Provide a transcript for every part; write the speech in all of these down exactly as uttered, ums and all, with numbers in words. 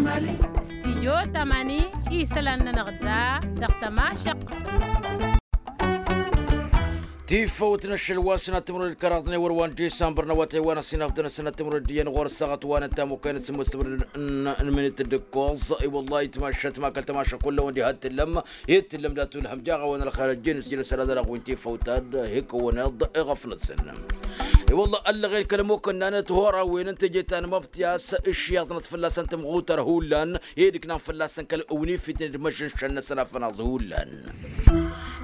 Stijyo tamani isălan-nănăɣ da dăɣ-tămašăq. Tifăwt n-ašăl wa n-sănat timǝrwen d-kăraḍ n-ewăr wa n-disambăr n-awătay wa n-ăsinafḍăn ăsănat timǝrwen d-iyyăn ɣur-ăssaɣăt wa n-ănta mukăyăn s-sǝmmos timǝrwen n-minit d-ǝkkoẓ. I-wăllahi tamašat ma kăl-tamaša kull-awăn diha t-tǝllăm i-t-tǝllăm dat-ulhăm jaɣ-a-wen ălxayr ăjjeen s-jălăs ăradăn aɣwin tifăwt ad-hikăwăn iḍ iɣăf-năsăn. I-wălla ăllăɣen kăl-ămokănna n-ăthorawen n-teje ta n-măbtǝy a-s ǝššiyăḍnăt fălla-săn tămɣutar hullan i-dd-ǝknan fălla-săn kăl-ăwnifitnen d-imăžžănšăn-năsăn afănaẓ hullan.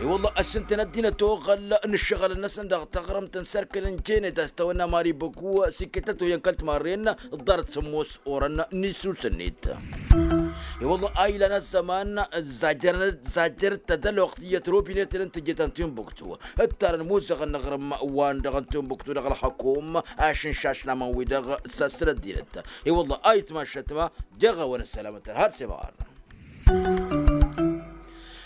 I-wălla ăššǝntăn ăddinăt oɣăl n-ǝššăɣǝlăn-năsăn dăɣ-taɣrǝmt n-sărkǝl n-jenet a-s tawănna mari băku s-ikkătăt oyăn kăl-timarren ḍarăt sămmos orăn n-isus-net. I-wălla a ilan ăzzăman zajjărăt tădăloɣt iyyăt robinetăn n-teje ta n-timbuktu ǝttarăn imuzăɣăn n-aɣrǝm wa n-dăɣ-n timbuktu dăɣ-ălxăkum ašǝnšašnaman-wi-dăɣ s-assăl ăddinăt. I-wălla a itmašăt ma jăɣ-awăn ăssălamăt har s-imɣar.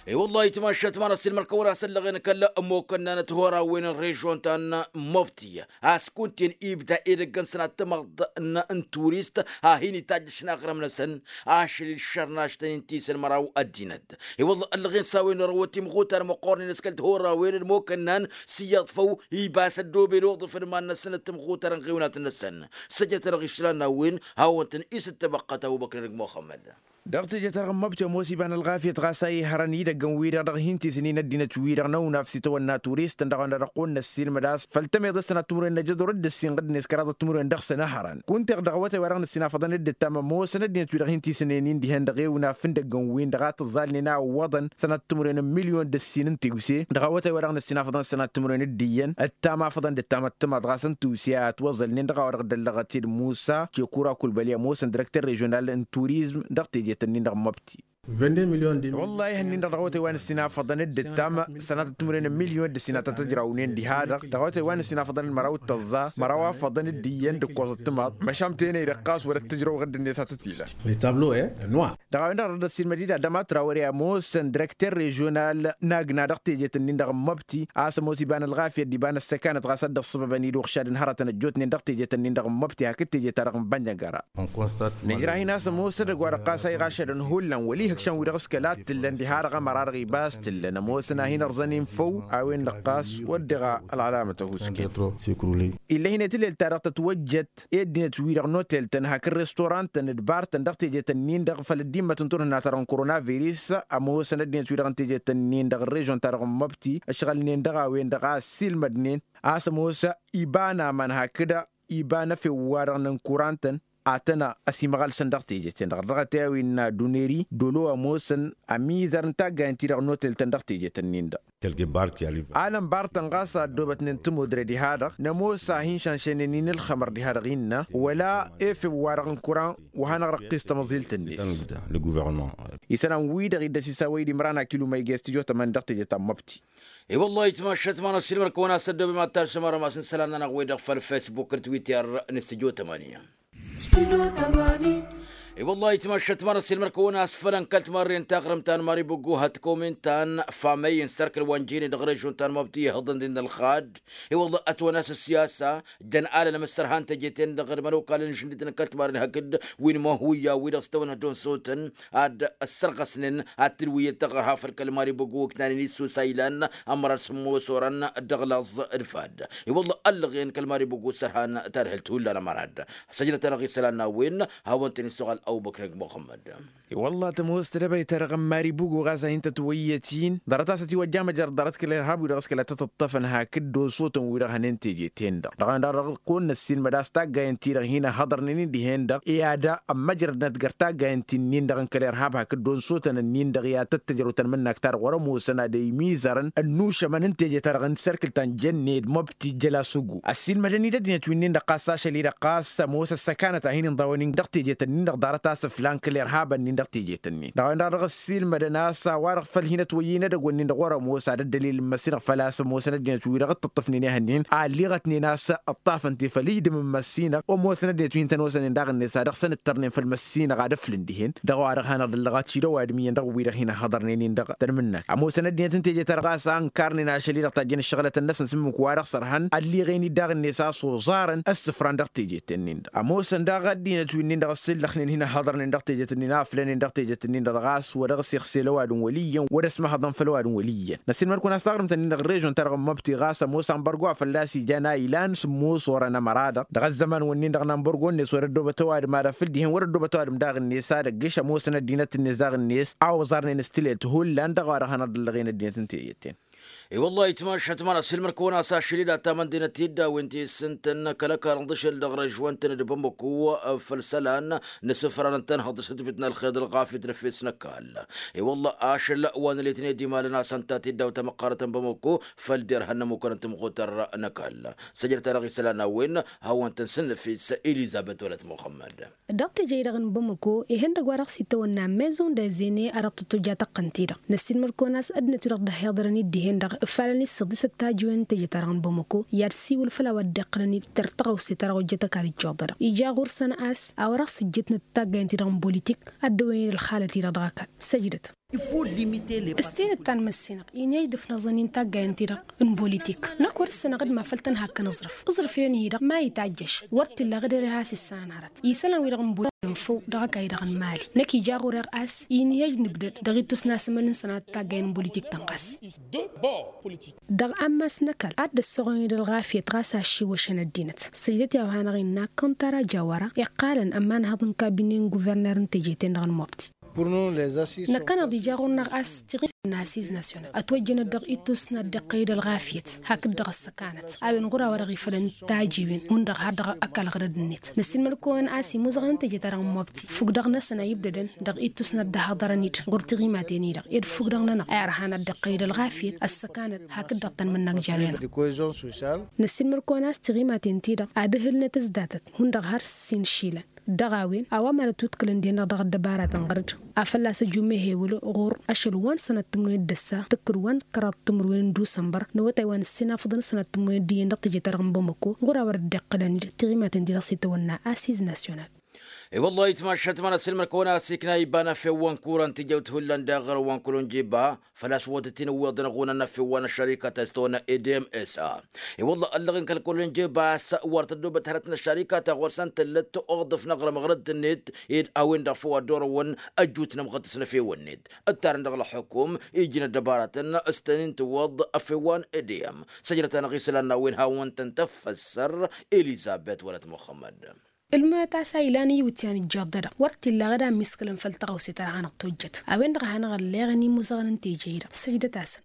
I-wălla itmašăt ma n-ăssiilmăr-kăwăn a-s ăllăɣen kăl-ămmokănna n-ăthorawen n-režon ta n-mobti a-s kunta-en ibda edăgg n-sănat timăḍt n-turist a hin-itajjăš n-aɣrǝm-năsăn ašăl-i d-išărnaš tăn-in-tisǝl măraw ăddinăt. I-wălla ăllăɣen s-a-wen orăwăt imɣutar măqqoornen s-kăl-tihorawen d-imokănnan s-iyyăḍ făw ibas ăddooben oḍǝf d-iman-năsăn d-timɣutar n-iɣewnat-năsăn. Săjdăt-dăɣ išlan n-a-wen hawăn-tăn-isǝttăbăqqăt ăbubăkr n-ăgg muxămmăd. Dăɣ-teje-ta-dăɣ n-măbte ămoos iba n-ălɣafyăt ɣas a ihărăn idăgg n-wi-dăɣ dăɣ-hin-tisǝnnin ăddinăt-wi-dăɣ n-awǝnaf s-itawănna turist ǝndăɣ-wăn-dăɣ dăɣ-kăwăn-năssiilmăd a-s făll-tămeḍe s-tănat timǝrwen n-ajăḍur d-ǝssin ɣǝddǝnet kăraḍăt timǝrwen dăɣ-săn ăhărăn kunta-dăɣ dăɣ-awătay wa dăɣ-nǝssinafăḍăn d-ǝttam ămoosăn ăddinăt-wi-dăɣ hin-tisǝnnin-in dihen dăɣ-ewǝnaf n-idăgg n-win-dăɣ a tǝẓẓalnen a ǝwwăḍăn sănat timǝrwen n-milyon d-ǝssin n-tiwse dăɣ-awătay wa dăɣ-nǝssinafăḍăn sănat timǝrwen d-iyyăn ăttam afăḍăn d-ăttam ăttămaḍ ɣas n-tiwse a ătwăẓălnen dăɣ-a-wa dăɣ-dd-ăllăɣăt-dd musa cekura kulbăli ămoosăn dirăkter režional n-turizm dăɣ-tejet-ǝnnin dăɣ-măbti. Wăllah ihăn-nin-dăɣ dăɣ-awătay wa nǝssin afăḍăn d-ǝttam sănatăt timǝrwen n-milyon d-ǝssin a tăt-ăjrawnen diha-dăɣ dăɣ-awătay wa nǝssin afăḍăn d-măraw d-tăẓẓa măraw afăḍăn d-iyyăn d-ǝkkoẓăt timaḍ măšan tenăy-dăɣ ɣas wăr-ăttăjrăw ɣǝddǝnet a tăt-ila. Dăɣ-a-wen-dăɣ dăɣ-dd-ăssiilmăd-dd adăma trawăre ămoosăn dirăkter režional n-agna dăɣ-tejet-ǝnnin-dăɣ n-măbti a-s ămoos iba n-ălɣafyăt d-iba n-ăssăkanăt ɣas a dd-ăṣṣăbăbăn-dd uɣšad n-hărătăn ăjjootnen dăɣ-tejet-ǝnnin-dăɣ n-măbti hakd teje-ta-dăɣ n-bănjăngăra. Nǝjrah-in a-s ămoosăn dăgg-wa-dăɣ ɣas a iɣašădăn hullan wăla ihǝkšăn-wi-dăɣ s-kăla t-tǝllăn diha-dăɣ ămăra-dăɣ ibas t-tǝllăn ămoosăn a hin-ărẓăn-in făw a-wen-dăɣ ɣas wăr dăɣ-ălɣălamăt ăhuusken. Ill'-e hin-e tǝlel-ta-dăɣ tătwăjjăt i-ăddinăt-wi-dăɣ n-otel-tăn hakd restorant-tăn d-bar-tăn dăɣ-tejet-ǝnnin-dăɣ făll-ăddimmăt n-turhǝnna-ta-dăɣ n-koronavirus. Ămoosăn ăddinăt-wi-dăɣ n-tejet-ǝnnin-dăɣ n-režon-ta-dăɣ n-măbti ǝšɣălnen dăɣ-a-wen-dăɣ a ăssiilmădnen a-s ămoos iba n-aman hakd iba n-efew-wa-dăɣ n-ǝnkuran-tăn. Ad-tăn-ăsimăɣălsăn dăɣ-tejet-en-dăɣ dăɣ-t i-a-wi ǝnna duneri dolo ămoosăn ămizăr n-taggayen-ti-dăɣ n-otel-tăn dăɣ-tejet-ǝnnin-dăɣ. Alăn bar-tăn ɣas a ăddoobătnen tămudre diha-dăɣ nămoos a hin-šanšăynen-in ǝlxămăr diha-dăɣ innă wăla efew-wa-dăɣ n-kuran wa hanăɣ-răqqis tamăẓilt-net. Isălan-wi-dăɣ iddăs isawăy d-imran akilu ma ija s-tijo tămani dăɣ-teje ta n-măbti. I-wăllah itmašat ma n-ăssiilmăr-kăwăn a-s ăddoobem ad-tarsǝm arămas n-isălan-nănăɣ-wi-dăɣ făll-fesbuk d-twitter n-stijo tămani. I-wăllah itmašat ma n-ăssiilmăr-kăwăn a-s făl ănkăl timarren taɣrǝmt ta n-mari băggu hăt-komin ta n-famăy n-sărkǝl wa n-jene dăɣ-režon ta n-măbti ihǝḍăn-dd-in ălxad. I-wăllah ătwănas ăssiyasa jăn alălăm ăssărha n-teje-ten-dăɣ d-imănokalăn n-išǝndǝtăn n-kăl-timarren hakd wi n-imăhuyya-wi-dăɣ s-tawănna d-onsotăn ad-ăssărɣăsnen ad-tǝlwǝyyăt taɣărha făll-kăl-mari băggu ǝknanen issus a ilan ămărad sǝmmos orăn dăɣ-laẓ d-fad. I-wălla ăllăɣen kăl-mari băggu s-ărhan tadhǝlt hullan ămărad. Săjdăt-anăɣ isălan n-a-wen hawăn-tăn-isuɣal ăbubăkr muxămmăd. I-wălla tămoos tedăbayt-ta-dăɣ n-mari băggu ɣas a hin-tătwăyyăt-in ḍarăt a-s ătiwăjja măjrăd ḍarăt kăl-irhab-wi-dăɣ s-kăla tăt-ǝṭṭăfăn hakd d-osotăn-wi-dăɣ hănen teje-ten-dăɣ dăɣ-a-wen-dăɣ dăɣ-kăwăn-năssiilmăd a-s taggayen-ti-dăɣ hin-ăhhăḍărnen-in dihen-dăɣ i-ad-ămmăjrădnăt găr taggayen-ti-nin-dăɣ n-kăl-irhab hakd d-onsotăn-nin-dăɣ i-ad-tăt-tăjrăw tănmǝnnakt-ta-dăɣ wăr-ămoosăn ad-imizărăn ănnušămăn n-teje-ta-dăɣ n-sărkǝl ta n-jănne d-măbti jăla s-ǝggu ăssiilmădăn-dd ăddinăt wi-nin-dăɣ ɣas ašăl-i-dăɣ ɣas ămoos ăssăkanăt a hin-inḍawăn-in dăɣ-teje-tăn-nin-dăɣ ḍarăt a-s ǝflan kăl-irhabăn-nin dăɣ-teje-tăn-nin dăɣ-a-wen-dăɣ dăɣ-ăssiilmădăn a-s a-wa-dăɣ făll-hin-ătwăyyǝy n-edăgg-wǝnnin-dăɣ wăr-ămoos ad-ăddălil n-măssinăɣ făl-a-s ămoosăn ăddinăt-wi-dăɣ dd-tǝṭṭǝfnen i-hănnin a ălliɣătnen a-s ǝṭṭafăn-te făll-ijdǝm n-măssinăɣ ămoosăn ăddinăt wi hin-tăn-osănen daɣ-net a dăɣ-săn ǝttărnen făll-măssinăɣ ad-ǝflǝn dihen dăɣ-a-wa-dăɣ hanăɣ-dd-ăllăɣăt šidăw adǝm iyyăn dăɣ-wi-dăɣ hin-ăhhăḍărnen-in-dăɣ tănmǝnnakt ămoosăn ăddinăt n-teje-ta-dăɣ a-s a ǝnkarnen ašăl-i-dăɣ tajjăn ǝššăɣǝlătăn-năsăn s-ǝmmǝk wa dăɣ-sărhăn ălliɣen-dd daɣ-net a-s oẓarăn ăssǝfran dăɣ-teje-ten-in-dăɣ ămoosăn daɣ ăddinăt wi-nin-dăɣ ăssillăxnen hin. hăḍrănen dăɣ-tejet-nin aflănen dăɣ-tejet-nin-dăɣ ɣas wăr dăɣ-s ixsel ăwadǝm wăl' iyyăn wăr-ăsmăhăḍăn făll-ăwadǝm wăl' iyyăn. Năssiinmăr-kăwăn a-s taɣrǝmt-nin-dăɣ n-režion-ta-dăɣ n-măbti ɣas ămoos anbărgo a fălla-s ijan a ilan s-ămoos orăn ămăra-dăɣ dăɣ-ăzzăman-wǝnnin-dăɣ n-anbărgo-net wăr-ăddoobăt ăwadǝm ad-afǝl dihen wăr-ăddoobăt ăwadǝm daɣ-net ad-ăggǝš ămoosăn ăddinăt-net daɣ-net a oẓarnen s-tilelt hullan dăɣ-a-wa dăɣ-hanăɣ-dd-ăllăɣen ăddinăt n-teyyăt-ten. I-wăllah itmašat măra s-ilmăr-kăwăn a-s ašăl-i d-ataman d-inăt-i dd-a-wen ti s-ǝntăn kăl-ăkarăn d-ašăl dăɣ-režion-tăn d-bamăko făll-isălan n-asǝfran n-tanhăḍt s-ǝtbǝt n-ălxer d-ălɣafyăt d-efes n-ăkall. I-wăllah ašăl wa n-ălitned imalăn a-s ănta tiddaw tamăqqarăt n-bamăko făll-derhan n-ămmukăn n-tamɣutăr n-ăkall. Săjdăt-anăɣ isălan a-wen hawăn-tăn s-nǝfis elizăbet wălăt muxămmăd. Dăɣ-teje-i-dăɣ n-bamăko ihăndăgg wa dăɣ-s itawănna maison d-azene a dăɣ-tăt-tojja tăqqăn-t-i-dăɣ năssiinmăr kăwăn a-s ăddinăt-wi-dăɣ dd-ăhiḍărăn-dd dihen-dăɣ ǝfalăn-i s-săḍisăt tajiwen n-teje-ta-dăɣ n-bamăko i-ad-siwǝl făll-a-wa dd-iqqălăn-dd tăr tăɣawse-ta-dăɣ ojjăt ăkall ijjuḍădăɣ ija ɣur-săn a-s a-wa dăɣ-sǝjjǝtnăt taggayen-ti-dăɣ n-bolitik ad-dăwăyăn i-dd ălxalăt-i-dăɣ dăɣ-ăkall. Săjdăt. S-tinǝttan măssinăɣ inhăj d-ǝfnăẓăn-in taggayen-ti-dăɣ n-bolitik năkk wăr-ǝssănăɣ d-mafăl tănhak n-aẓrǝf. Aẓrǝf-en-hi-dăɣ ma itajjăš wăr t-illa ɣǝder-e has-issănanhărăt isălan-wi-dăɣ n-bolitik n-făw dăɣ-ăkall-i-dăɣ n-mali. Năkk ija ɣur-e ɣas inhăj nǝbdăd dăɣ-ittus n-asǝmăl n-sănat taggayen n-bolitik tănɣas. Dăɣ-ammas n-ăkall ad-dd-ăssoɣăn-dd ălɣafyăt ɣas aššiwăšăn ăddinăt. Săjdăt i-a-wa hanăɣ-innă kăntara jawara iqqalăn ămanhăḍ n-kabine n-guverner n-teje-ten-dăɣ n-mobti. Năkkăneḍ ija ɣur-năɣ a-s tiɣimit n-asiz nasyonal ătwăjjănăt dăɣ-ittus n-ad-dd-iqqăy d-ălɣafyăt hakd-dăɣ ăssăkanăt a-wen ɣur-a-wa-dăɣ ifălăn tajiwen hundăɣ har dăɣ-ăkall ɣărăd-net. Năssiinmăr-kăwăn a-s imuzăɣăn n-teje-ta-dăɣ n-mobti fukk-dăɣ-năsăn a ibdădăn dăɣ-ittus n-ad-dd-ăhaḍărăn-dd ɣur-tiɣimaten-i-dăɣ ed fukk-dăɣ-nănăɣ a irhan ad-dd-iqqăy d-ălɣafyăt ăssăkanăt hakd-dăɣ tanmǝnnak jer-enăɣ. Năssiinmăr-kăwăn a-s tiɣimaten-ti-dăɣ ad-ǝhǝlnăt s-datăt hundăɣ har s-inšilăn. Dăɣ-a-wen a-wa mad-ătwǝdkǝlăn dihen-dăɣ dăɣ-ăddăbaratăn ɣăr-dd a fălla-s ăjummehe wăla ɣur-ašăl wa n-sănat timǝrwen d-ăssa tǝkkǝd wa n-kăraḍ timǝrwen n-dusănbăr n-awătay wa n-ǝssin afǝḍăn sănat timǝrwen d-iyyăn dăɣ-tejăt-ta-dăɣ n-bamăko ɣur-a wăr dd-iqqălăn-dd tiɣimaten-ti-dăɣ s-itawănna asiz nasyonal. I-wăllah itmašat măra s-ilmăr-kăwăn a-s ikna iba n-afew wa n-kuran tijăwt hullan daɣ ɣur-wa n-kălonjeba făl-a-s wăr tăt-in-ǝwweḍăn ɣunăn n-afew wa n-ăššărika ta s-tăwănna edem s-a. I-wăllah ăllăɣen kăl-kălonjeba a-s wăr tăddoobăt hărăt n-ăššărika ta ɣur-săn tǝllăt oḍǝf n-aɣrǝm ɣărăt-net ed a-wen-dăɣ făw ad-dd-orăwăn ăjjut n-ămɣăt s-năfewăn-net ǝttarăn dăɣ-ălxukum iji n-ăddăbaratăn s-tăn-in-tǝwwăḍ afew wa n-edem. Săjdăt-anăɣ isălan n-a-wen hawăn-tăn tăffăssăr elizăbet wălăt muxămmăd. Ǝlmăyăt a-s a ilan iwǝtyan ǝjjăḍ-dăɣ wăr t-illa ɣǝd a ămmiskălăn făll-tăɣawse ta dăɣ-hanăɣ-tojjăt. A-wen-dăɣ a hanăɣ-ălleɣăn imuzăɣăn n-teje-i-dăɣ săjdăt-asăn.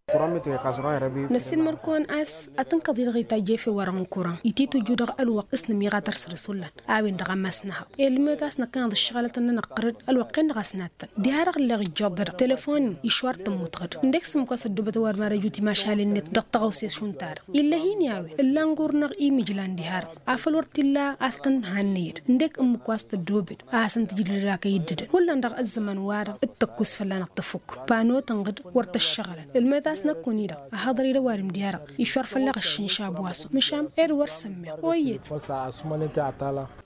Năssiinmăr-kăwăn a-s ad-tǝnkăḍ-i-dăɣ itajj efew-wa-dăɣ n-kuran ititǝjju dăɣ-ălwăqq s-nǝmiɣa tăr-săr-s hullan. A-wen-dăɣ ammas n-ahăḍ ǝlmăyăt a-s năkkăneḍ ǝššăɣǝlăt ănnănăɣ ɣăr-dd ălwăqq-en-dăɣ a-s nattăn diha-dăɣ ǝlleɣ ijjuḍ-dăɣ telefon-in išwar tămmut ɣǝd ǝndek s-ǝmmǝk wa s-ăddoobăt ăwadǝm ad-ăjut imašalen-net dăɣ-tăɣawse šund-ta-dăɣ. Ill'-e hin-i a-wen ǝllan ɣur-năɣ imǝjlan diha-dăɣ afăl wăr t-illa a-s tăn-tihannăyăd ǝndek ǝmmǝk wa s-tăddoobed a hasăn-tǝjǝdǝd akăy dd-ǝdăn hullan dăɣ-ăzzăman-wa-dăɣ d-tăkkus fălla-năɣ tăfuk. Pano tănɣǝd wăr tăššăɣǝlăn ǝlmăyăt a-s năkkun-i-dăɣ ăhaḍăr-dd ăwadǝm diha-dăɣ išwar fălla-ɣ ăššinša ăbwasu măšan ed wăr sămmeɣ. Oyyăt.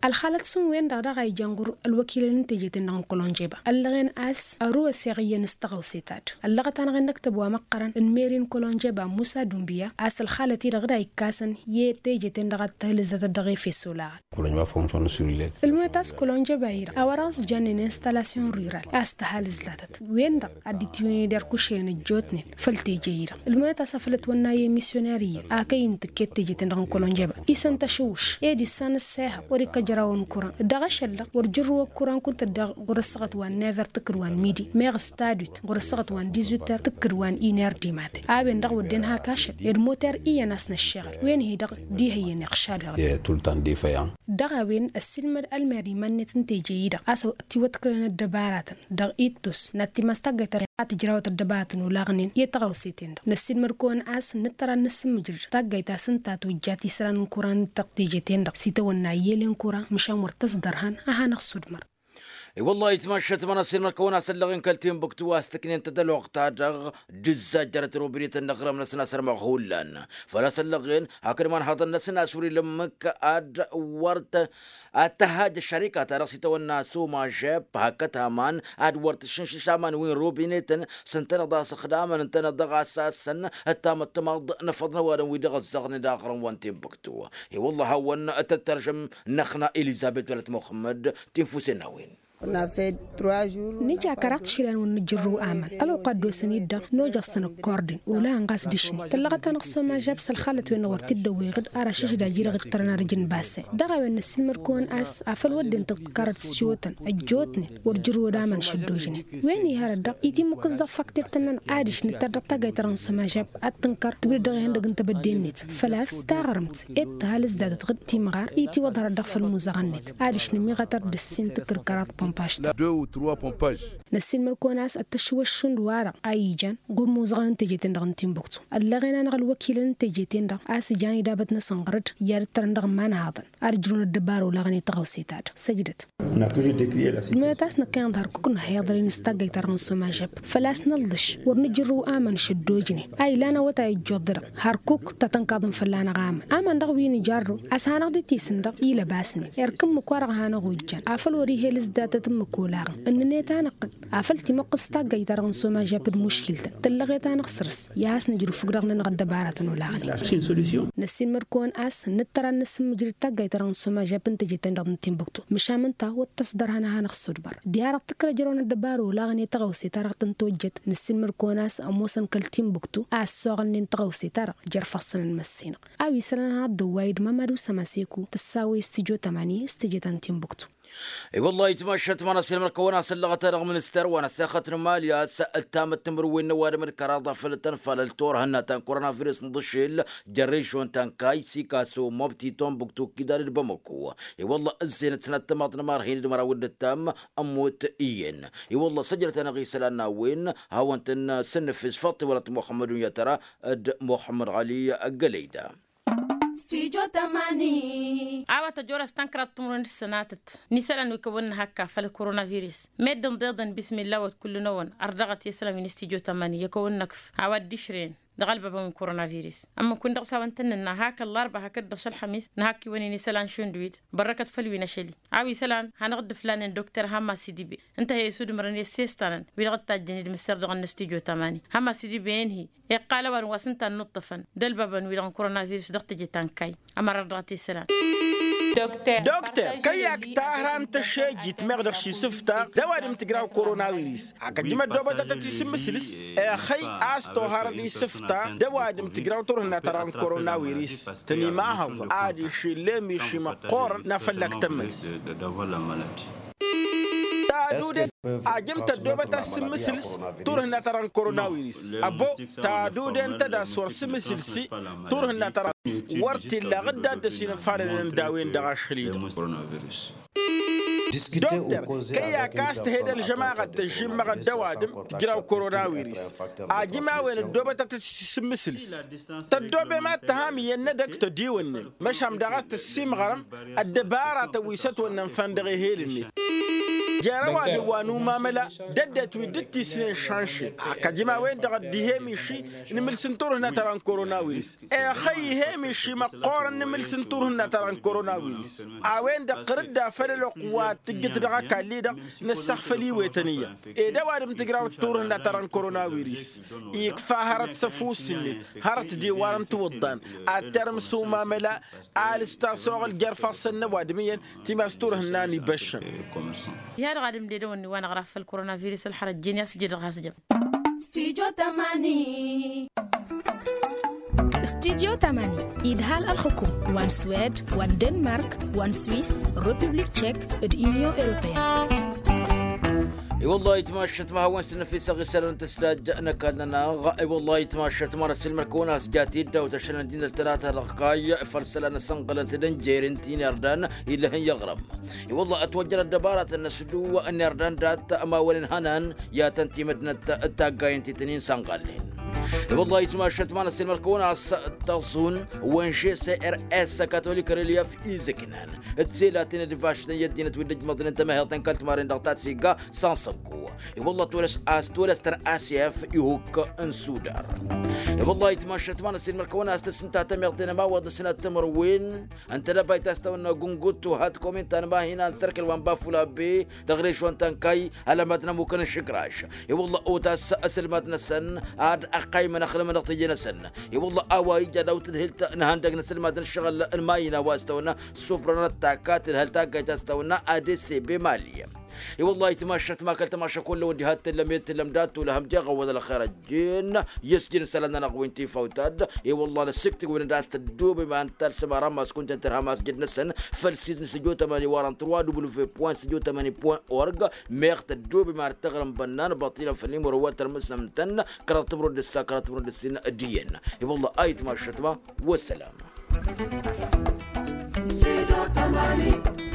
Ălxalăt s-ǝnwen-dăɣ daɣ a ijan ɣur-ălwăkilăn n-teje-ten-dăɣ n-kălonjeba ăllăɣen a-s ărǝwăs i-aɣǝyyăn s-tăɣawse ta-dăɣ ăllăɣăt-anăɣ-en năktăb wa măqqărăn n-meri n-kălonjeba musa dunbiya a-s ălxalăt-i-dăɣ d-a ikasăn i-teje-ten-dăɣ ad-tăhǝlǝzzătăt dăɣ-efes olaɣăn. Ǝlmăyăt a-s kălonjeba-i-dăɣ a-wa dăɣ-s jannen instalasyon rural a-s tăhalǝzzătăt wen-dăɣ ad-dd-itiwǝned erkušăyăn ăjjootnen făll-teje-i-dăɣ. Ǝlmăyăt a-s afăl ătwănna i-emisyonari iyyăn akăy n-tǝkket teje-ten-dăɣ n-kălonjeba isăn tašǝwwǝš ed issan ǝssehăɣ wăr-ikkăjrawăn kuran dăɣ-ašăl-dăɣ wăr jǝrrǝwăt kuran kunta dd-ɣur-ăssaɣăt wa n-never tǝkkǝd wa n-midi meɣ s-tadwit ɣur-ăssaɣăt wa n-dizwiter tǝkkǝd wa n-iner dimaten. A-wen-dăɣ wădden hak ašăl ed moter iyyăn a-s năššeɣăl wen-hi-dăɣ d-ihăyyăn iɣšad. Dăɣ-a-wen ăssiilmăd ălmer iman-net n-teje-i-dăɣ a-s tiwătkǝlăn ăddăbaratăn dăɣ-ittus n-ad-timas taggayt a tǝjrawăt ăddăbaratăn olaɣnen i-tăɣawse-ten-dăɣ năssiilmăd-kăwăn a-s nǝttăr ad-nǝssǝmmǝjrǝd taggayt a-s ǝnta a tojjat isălan n-kuran dăɣ-teje-ten-dăɣ s-itawănna iyyălen kuran măšan wăr tăsdărhan. A hanăɣ-sudmăr. I-wăllah itmašat mănăssin mărkăwăn a-s ăllăɣen kăl-tinbuktu a-s tǝknen-tăt ălwăqq-ta-dăɣ d-ǝzzajjărăt robinetăn n-aɣrǝm-năsăn a-s ărmăɣ hullan. Făl-a-s ăllăɣen hakd imanhaḍăn-năsăn a-s wăr-ila ǝmmǝk ad-wăr-t ad-tăhhaj ăššărika-ta-dăɣ s-itawănna s-omažep hakd aman ad-wăr tǝššǝnšǝš aman wi n-robinetăn s-ǝntăneḍ a-s ǝxdamăn ǝntăneḍ dăɣ-asasăn d-tamăttămaḍt n-afăḍ n-ăwadǝm wi dăɣ-ăzzăɣnen d-aɣrǝm wa n-tinbuktu. I-wălla a hawăn-tăttărjăm n-ăxna elizăbet wălăt muxămmăd tinfusen n-a-wen. Nǝja kăraḍ tišilan wăr nǝjjǝrrǝw aman ălwăqq a dd-osăn-dd-dăɣ nojăẓ-tăn ǝkkordin olăɣăn ɣas d-ašni tăllăɣăt-anăɣ s-omažab s-ălxalăt-wen-dăɣ wăr t-dd-ăwweɣ-dd ar ašǝžžǝd a ji-dăɣ ǝjtărăn ar ǝjǝn basen dăɣ-a-wen năssiilmăd-kăwăn a-s afăl wădden tǝḍkărăt s-iwǝtăn ăjjootnen wăr jǝrrǝwăd aman šăddojnen wen iha-dăɣ-dăɣ itimmǝk s-dăɣ făktir-tăn-nănăɣ adiš nǝttar dăɣ-taggayt-ta-dăɣ n-sămažab ad-tǝnkăr tǝwǝdăd dăɣ-ihăndăg n-tebădde-net făl-a-s taɣrǝmt ed tǝhalǝs datăt ɣǝd timɣar i-tiwăḍhărăt dăɣ-făll-imuzăɣăn-net adiš nǝmiɣătăr d-ǝssin tǝkkǝr kăraḍ pompaž-ta. Năssiilmăd-kăwăn a-s ăttăšwăššund-wa-dăɣ a ijan ɣur-imuzăɣăn n-teje-ten-dăɣ n-timbuktu ăllăɣen-anăɣ ălwăkilăn n-teje-ten-dăɣ a-s ijan idabăt-năsăn ɣur-dd i-ad-ǝttărăn dăɣ-imanhaḍăn ad-ǝjrǝwăn ăddăbara olaɣăn i-tăɣawse-ta-dăɣ săjdăt. Ǝjmănăt a-s năkkăyăn d-hărkuk n-ahiḍăr-in s-taggayt-ta-dăɣ n-sumajab făl-a-s năllăš wăr nǝjǝrrǝw aman šăddojnen a ilan awătay ăjjoḍ-dăɣ hărkuk ta tănkaḍăn fălla-năɣ aman aman dăɣ-wi nǝjarrǝw a-s hanăɣ-dd-tisǝn dăɣ-ilăbasnen erk ǝmmǝk-wa-dăɣ a hanăɣ-ojjan afăl wăr-ih' elǝs datăt ǝmmǝk olaɣăn ǝnnǝnet-anăɣ-tăn afăl timăqqǝs taggayt-ta-dăɣ n-sumajab d-muškil-tăn tăllăɣet-anăɣ săr-s i-ad-has-nǝjrǝw fukk-dăɣ-nănăɣ ăddăbaratăn olaɣnen. Năssiilmăd-kăwăn a-s nǝttăr ad-nǝsǝmmǝjrǝd taggayt-ta-dăɣ n-sumajab n-teje-ten-dăɣ n-timbuktu măšan ǝnta wăr tăsdăr hanăɣ-hanăɣ-sudmăr. Diha-dăɣ tǝkkăr ăjrăwăn ăddăbara olaɣăn i-tăɣawse-ta-dăɣ tăn-tojjăt năssiilmăd-kăwăn a-s ămoosăn kăl-timbuktu a ăssoɣălnen tăɣawse-ta-dăɣ jer-ifassăn n-măssinăɣ a-wa isălan hanăɣ-dd-ăwway d-mamadu sămaseku tăssawăy s-tijo tămani s-teje ta n-timbuktu. I-wăllah itmašat ma n-asǝlmăr-kăwăn asăllăɣăt-anăɣ minister wa n-asăxăt n-imali a-s ǝttamăt timǝrwen n-ăwadǝm d-kăraḍ a făl tăn-falăl turhǝnna ta n-koronavirus n-iḍǝšel jer-režon ta n-kay sikaso mobti tombuktu kidad d-bamako. I-wălla ǝzzeyăn d-sănat tămaḍt n-imarhin d-măraw d-ǝttam ămmut iyyăn. I-wălla săjdăt-anăɣ isălan n-a-wen hawăn-tăn-sǝnnǝfes faṭi wăla t-muxămmădun yatăra d-muxămmăd ɣali gălăyda. A-wa tăjorăs tăn-kăraḍ timǝrwen d-sănatăt n-isălan wi kăwăn-nǝhăkk afăl koronavirus meddǝn ḍeḍăn bismilla wăt kull-năwăn ărdăɣăt i-isălan wi n-stijo tămani i-kăwăn-năkf a-wa dd-išrăyăn dăɣ-ălbabăn wi n-koronavirus. Ămmǝk-win-dăɣ s-a-wăn tăn-nǝnna hak ăllarba hakd-dăɣ šălxămis nǝhak iwăn-in isălan šund wid bărrăkăt făll-wi n-ašăl-i a-wa isălan hanăɣ-dd-ǝflanen dokter hamma sidibe ǝnta a he-isudǝmrăn i-ăssestan-ǝn wi-dăɣ ǝttajjăn idmǝssăr dăɣ-ănnăstijo tămani hamma sidibe inhi iqqal ăwadǝm wa s-ǝnta a ănnuṭṭăfăn d-ălbabăn-wi-dăɣ n-koronavirus dăɣ-teje ta n-kayy. Ămăra ărdăɣăt isălan. Dokter kăy-ak tahram tăšejit meɣ dăɣ-ši sǝfta d-ăwadǝm tǝjraw koronavirus. Akăjjǝm ăddoobătăt tisǝmmǝsǝlǝs exăy a-s toharăd isǝfta d-ăwadǝm tǝjraw turhǝnna ta dăɣ-n koronavirus tăn-imahăẓ adiš ill'-e miši măqqoorăn n-afăllak tămmăls. Tadude ajǝm tăddoobăt asǝmmǝsǝls turhǝnna ta dăɣ-n koronavirus. Ăbbo tadude ǝnta d-a-s wăr sǝmmǝsǝlsi turhǝnna ta dăɣ-n wăr t-illa aɣǝdda dd-ăsinăfalălăn d-a-wen-dăɣ ašăl-i-dăɣ. Dokter kăy-ak a-s tăhed ălžămaɣăt tăžžimmăɣăt d-ăwadǝm tǝjraw koronavirus. Ajǝm a-wen ăddoobătăt asǝmmǝsǝls tăddoobem ad-tăham iyyăn n-edăgg tădiwănnen măšan daɣ a-s tăssimɣărăm ăddăbaratăn wi s-ătwănnăn făll-dăɣ ehel-net. Jer-ăwadǝm wa n-umamăla d-ăddinăt wi dd-tisnen šanšen. Akăjǝm a-wen-dăɣ dd-ihe miši n-imǝls n-turhǝnna ta dăɣ-n koronavirus. Exăy ihe miši măqqoorăn n-imǝls n-turhǝnna ta dăɣ-n koronavirus. A-wen-dăɣ ɣǝr-dd afăl ălwăqq wa tǝjjǝt dăɣ-ăkall-i-dăɣ nǝssăɣ făll-iwetăn iyyăn. Ed ăwadǝm tǝjrawăt turhǝnna ta dăɣ-n koronavirus ikfa hărăt s-ăfuss-net hărăt d-iwarăn tiwǝḍḍan ad-termǝs umamăla. Alǝs tasoɣăl jer-ifassăn n-ăwadǝm iyyăn timas turhǝnna n-ibăššăn. Iha-dăɣ ad-ǝmdedăwăn n-iwanăɣ ra făll-koronavirus ălxărăt jen i-a-s ǝjǝdăɣ has-jăm. Studio tamani idhal ălxukum wa n-swed wa n-denmark wa n-swis, republik tchek, d-union europeyenne. I-wăllah itmašăt ma hawăn-sǝnnăfisăɣ isălan n-tǝsdaj n-ăkall-nănăɣ. I-wăllah itmašăt ma n-ăsilmăr-kăwăn a-s jat-dd-awt ašăl n-ăddinăt tănata dăɣ-kayy făll-isălan n-asănɣălăn-t d-ănjer n-ti n-irdan. Illăh n-iɣrăm i-wălla ătwăjjăn ăddăbaratăn n-asǝdǝw n-irdan dat-ămawăn n-ihănan i-ad-tăn-timǝdnăt d-taggayen ti tăn-in sănɣallen. I-wălla itmašăt ma n-ăsilmăr-kăwăn a-s tăẓun wănže s-e r s katolik relief izǝknan d-selaten d-baštăn i-ăddinăt wi dd-ǝjmăḍnen tămăheḍt n-kăl-timarin dăɣ-tatsegga s-ansăggu. I-wălla tolăs a-s tolăs tăr-asef ihuk n-sudar. I-wălla itmašăt ma n-ăsilmăr-kăwăn a-s tăsǝnta tămeḍt d-inămawaḍ n-sănat timǝrwen ǝnta d-ăbayt a-s tawănna gungut tuhat komin ta n-mahina n-sărkǝl wa n-bafula be dăɣ-režon ta n-kay ălămad n-ămukăn n-išǝkraš. I-wălla otas ăsǝlmad-năsăn ad-ăqqaymăn ăxlǝmăn dăɣ-teje-năsăn. I-wălla a-wa ija daw-tǝdhǝlt n-ihăndăg n-asǝlmad n-ǝššăɣǝl n-mayina wa s-tawănna suprănăt takat tǝdhǝl taggayt a-s tawănna adese be mali. I-wălla ayǝtmašat ma kăl-tămaša kull-ăwăn diha t-tǝllăm i-tǝllăm dat-tulăhăm deɣ ăwwăḍ ălxer ăjjeen i-ăsjǝn isălan-nănăɣ wi n-tifawt-ad. I-wălla năsǝktǝg wi n-ad-tăddoobem ad-talsăm ar ămass kunta n-tărha ămass jăd-năsăn făll-sit n-studio tămani wa dăɣ-n trois w point studio tămani point org. Meɣ tăddoobem ar tăɣrǝm bănnan baṭilăn făll-imăro wa tărmǝsnăm-tăn kăraḍ timǝrwen d-ǝssa kăraḍ timǝrwen d-ǝssin. D-iyyăn. I-wălla ayǝtmašat ma. Wăssălam. Studio tămani.